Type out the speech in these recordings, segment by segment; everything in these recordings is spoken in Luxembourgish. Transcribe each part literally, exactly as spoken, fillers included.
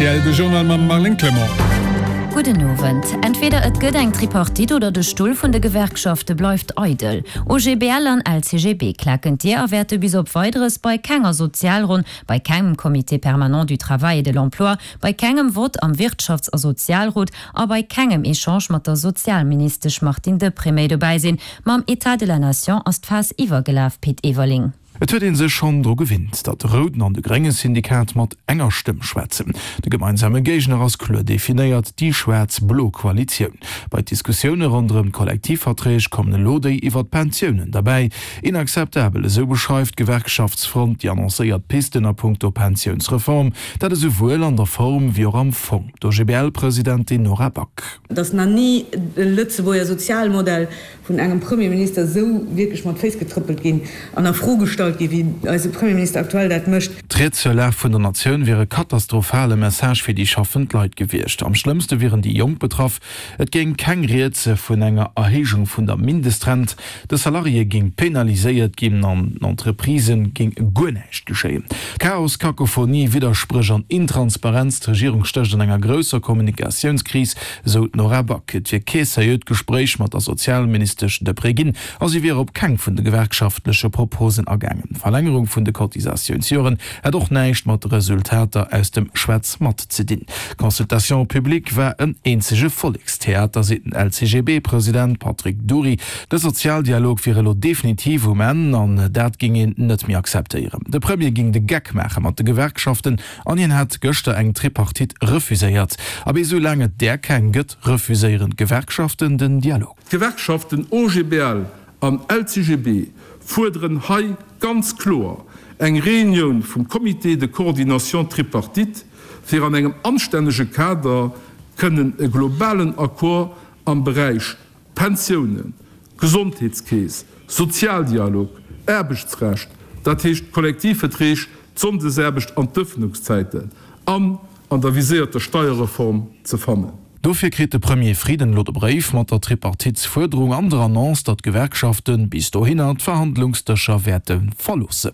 rtl, de Journal mam Marlène Clement. Gudden Owend. Entweder et gëtt eng Tripartite oder de Stull vun de Gewerkschafte bleift eidel. OGBL an LCGB klaken d'Dier a wäerte bis op Weideres bei kenger Sozialronn, bei kengem Comité permanent du travail et de l'emploi, bei kengem Vott am Wirtschafts a Sozialrot a bei kengem Echange mat der Sozialministesch Martine Deprez méi dobäi sinn. Mam État de la Nation ass d'Faass iwwergelaf, Pit Everling. Et huet ee sech schonn dru gewinnt, datt de rouden an de grénge Syndikat mat enger Stëmm schwätzen. De gemeinsame Géigner ass kloer definéiert, déi schwaarz-blo Koalitioun. Bei d'Diskussioune ronderëm d'Kollektivverträg kommen elo déi iwwer d'Pensiounen derbäi. Inakzeptabel, esou beschreift d'Gewerkschaftsfront déi annoncéiert Pisten a punkto Pensiounsreform. Dat esouwuel an der Form wéi och am Fong. D'OGBL-Presidentin Nora Back. Et ass nach ni de Lëtzebuerger Sozialmodell vun engem Premierminister esou wierklech mat Féiss getrëppelt ginn an a Fro gestallt ginn, wéi eise Premierminister aktuell dat mécht. D'Ried zur Lag vun der Natioun wier e katastrophale Message fir déi schaffend Leit gewiescht. Am schlëmmste wieren déi Jonk betraff. Et géing keng Ried vun enger Erhéijung vun der Mindestrent, de Salarié géing penaliséiert ginn an den Entreprisë géing guer näischt geschéien. Chaos, Kakophonie, Widderspréch an Intransparenz, d'Regierung stécht an enger grousser Kommunikatiounskris, esou d'Nora Back. Et wier kee seriöt Gespréich mat der Sozialministesch Deprez ginn a si wier op keng vun de gewerkschaftleche Proposen agaangen. D'Verlängerung vun de Cotisatiounsjoren hätt och näischt mat de Resultater aus dem Schwätz mat ze dinn. D'Consultation publique war en eenzege Vollekstheater, seet den LCGB-President Patrick Dury. De Sozialdialog wier elo definitiv um Enn an dat géing een net méi akzeptéieren. De Premier géing de Geck maache mat de Gewerkschaften an hien hätt gëschter eng Tripartite refuséiert. Abee, esou laang et där keng gëtt, refuséieren d'Gewerkschaften den Dialog. D'Gewerkschaften OGBL an LCGB fuerderen hei ganz kloer eng Reunioun vum Comité de coordination tripartite, fir an engem anstännege Kader kënnen e globalen Accord am Beräich Pensiounen, Gesondheetskeess, Sozialdialog, Aarbechtsrecht, dat heescht d'Kollektivverträg, d'Sonndesaarbecht an d'Ëffnungszäiten, an an der viséierter Steierreform ze fannen. Dofir kritt de Premier Frieden elo de Bréif mat der Tripartitsfuerderung an der Annonce, datt d'Gewerkschafte bis dohinner d'Verhandlungsdëscher wäerte verloossen.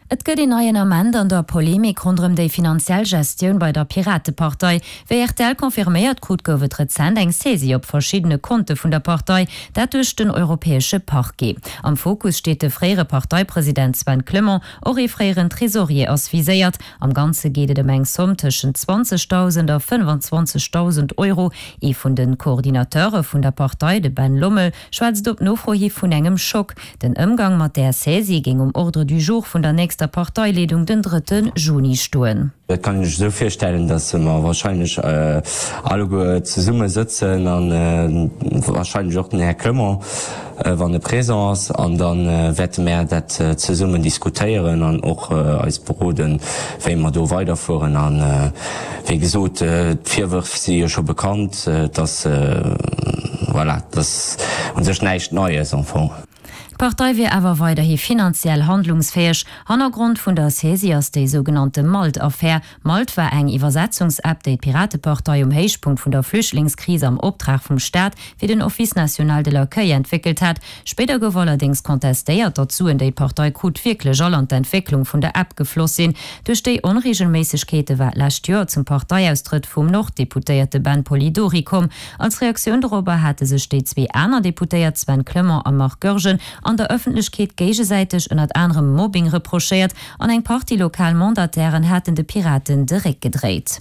Et gëtt een neien Ament an der Polemik ronderëm déi finanziell Gestioun bei der Piratepartei. Wéi rtl confirméiert krut, gouf et rezent eng Saisie op verschiddene Konte vun der Partei, dat duerch den europäesche Parquet. Am Fokus steet de fréiere Parteipresident Sven Clement, och ee fréieren Tresorier ass viséiert. Am Ganze geet et ëm eng Somm tëschent zwanzegdausend a fënnwanzwanzegdausend Euro. Ee vun de Coordinateure vun der Partei, de Ben Lommel, schwätzt op Nofro hi vun engem Schock. Den Ëmgang mat där Saisie géing um Ordre du jour vun der nächster Parteileedung den drëtte Juni stoen. Dat kann ech esou virstellen, datt mer wahrscheinlech alleguer zesumme sëtzen a wahrscheinlech och den Här Clement, wann e présent ass, an da wäerte mär dat zesummen diskutéieren an och eis beroden, wéi mer do weiderfueren. A wéi gesot, d'Virwërf si jo scho bekannt, et ass, voilà, et ass u sech näischt Neies am Fong. D'Partei wier awer weiderhi finanziell handlungsfäeg. Hannergrond vun der Saisie ass déi sougenannte Malt-Affär. Malt war eng Iwwersetzungs-App, déi d'Piratepartei um Héichpunkt vun der Flüchtlingskris am Optrag vum Staat fir den Office national de l'accueil entwéckelt hat. Spéider gouf allerdéngs contestéiert, datt d'Suen, déi d'Partei krut, wierklech all an d'Entwécklung vun der App gefloss sinn. Duerch déi Onreegelméissegkeete war d'lescht Joer zum Parteiaustrëtt vum Nord-Deputéierte Ben Polidori komm. Als Reaktioun dorobber hate sech déi zwee aner Deputéiert Sven Clement a Marc Goergen an der Ëffentlechkeet géigesäiteg ënnert anerem Mobbing reprochéiert an eng Partie lokal Mandatairen haten de Piraten de Réck gedréit.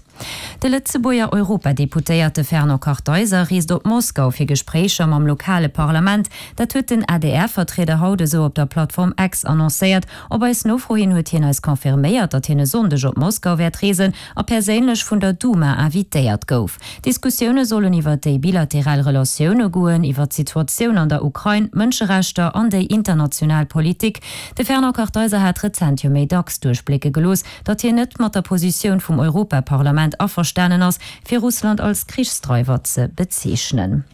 De Lëtzebuerger Europadeputéierte Fernand Kartheiser reest op Moskau fir Gespréicher mam lokale Parlament. Dat huet den A D R-Vertrieder haut esou op der Plattform X annoncéiert. Op eis Nofro hin huet hien eis confirméiert, datt hien e Sonndeg op Moskau wäert reesen a perséinlech vun der Duma invitéiert gouf. D'Diskussioune sollen iwwer déi bilateral Relatioune goen, iwwer d'Situatioun an der Ukrain, d'Mënscherechter an déi international Politik. De Fernand Kartheiser hat rezent jo méi dacks duerchblécke gelooss, datt hien net mat der Positioun vum Europaparlament averstanen ass, fir Russland als Krichsdreiwer ze bezeechnen.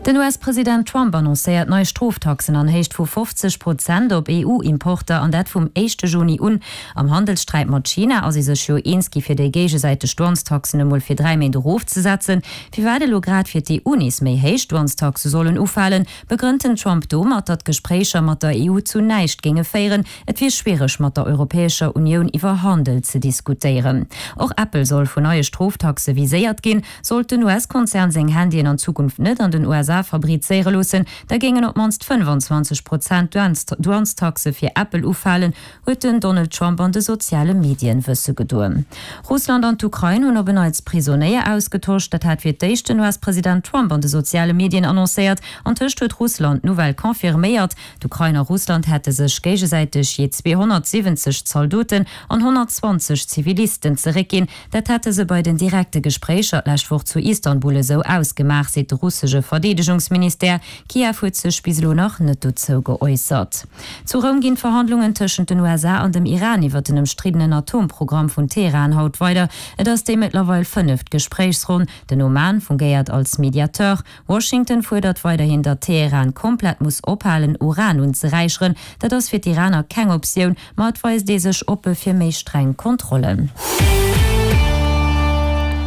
Den U S-President Trump annoncéiert nei Stroftaxen an Héicht vu fofzeg Prozent op E U-Importer, an dat vum éischte Juni un. Am Handelssträit mat China ass ee sech jo eens gi fir déi géigesäiteg Douanestaxen emol fir dräi Méint erofzesetzen. Firwat elo grad fir d'E U nees méi héich Douanestaxe sollen ufalen, begrënnt den Trump domat, datt d'Gespréicher mat der E U zu näischt géinge féieren. Et wier schwiereg mat der Europäescher Unioun iwwer Handel ze diskutéieren. Och Apple soll vun neie Stroftaxe viséiert ginn. Sollt den U S-Konzern seng Handyen an Zukunft net an den U S A fabrizéiere loossen, da géingen op d'mannst fënnfanzwanzeg Prozent Douanestaxe fir Apple ufalen, huet den Donald Trump an de soziale Medien wësse gedoen. Russland an d'Ukrain hunn op en Neits Prisonéier ausgetosch. Dat hat fir d'éischt den U S-President Trump an de soziale Medien annoncéiert. Antëscht huet Russland d'Nouvelle confirméiert. D'Ukrain a Russland hätte sech géigesäiteg jee zweehonnertsiwwenzeg Zaldoten an honnertzwanzeg Zivilisten zeréckginn. Dat hätte se bei den direkte Gespréicher d'lescht Woch zu Istanbul esou ausgemaach, seet de russesche Verdeedegungsministère. Kiew huet sech bis elo nach net dozou geäussert. Zu Roum ginn d'Verhandlungen tëschent den U S A an dem Iran iwwer den ëmstriddenen Atomprogramm vun Teheran haut weider. Et ass déi mëttlerweil fënneft Gespréichsronn. Den Oman fungéiert als Mediateur. Washington fuerdert weiderhin, datt Teheran komplett muss ophalen, Uran unzeräicheren. Dat ass fir d'Iraner keng Optioun, ma et weist ee sech oppe fir méi streng Kontrollen.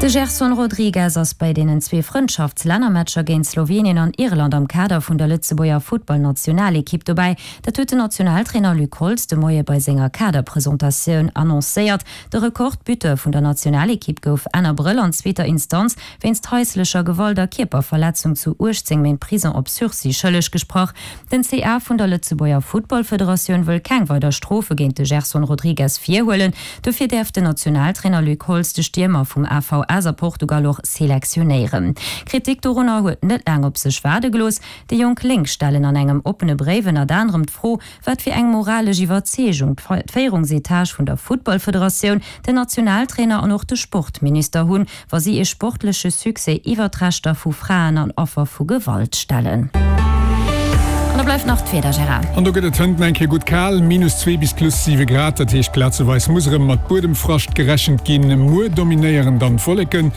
De Gerson Rodrigues ass bei deenen zwee Frëndschaftslännermatcher géint Slowenien an Irland am Kader vun der Lëtzebuerger Futtballnationalekipp dobäi. Dat huet den Nationaltrainer Luc Holtz de Moie bei senger Kaderpresentatioun annoncéiert. De Rekordbuteur vun der Nationalekipp gouf Enn Abrëll an zweeter Instanz wéinst haislecher Gewalt a Kierperverletzung zu uechtzéng Méint Prison op Sursis schëlleg gesprach. Den C A vun der Lëtzebuerger Futtballfederatioun wëll keng weider Strofe géint de Gerson Rodrigues virhuelen. Dofir däerf den Nationaltrainer Luc Holtz de Stiermer vum A V S a Portugal och selektionéieren. Kritik dorunner huet net laang op sech waarde gelooss. Déi Jonk Lénk stellen an engem oppene Bréif ënnert anerem d'Fro, wat fir eng moralesch Iwwerzeegung d'Féierungsetage vun der Futtballfederatioun, den Nationaltrainer an och de Sportminister hunn, wa si ee sportleche Succès iwwer d'Rechter vu Fraen an Affer vu Gewalt stellen. An da bleift nach d'Wieder, Gérard. An do gëtt et hënt eng Kéier gutt kal, minus zwee bis plus siwe Grad, dat heescht plazeweis muss erëm mat Buedemfrascht gerechent ginn. Muer dominéieren dann d'Wolleken,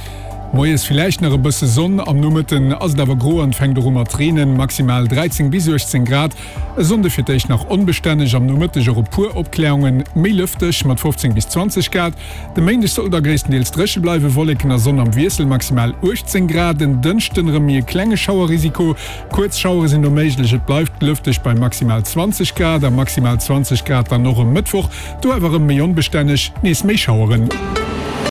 moies villäicht nach e bësse Sonn, am Nomëtten ass et awer gro an fänkt och u mat reenen, maximal dräizéng bis uechtzéng Grad. E Sonnde fir d'éischt nach onbestänneg, am Nomëtteg och e puer Opkläerungen, méi lëfteg mat fofzéng bis zwanzeg Grad. De Méindeg soll da gréisstendeels dréche bleiwen, Wolleken a Sonn am Wiessel, maximal uechtzéng Grad. En Dënschden erëm méi e klenge Schauerrisiko, kuerz Schauere sinn do méiglech, et bleift lëfteg bei maximal zwanzeg Grad a maximal zwanzeg Grad dann och e Mëttwoch, do awer erëm méi onbestänneg, nees méi Schaueren.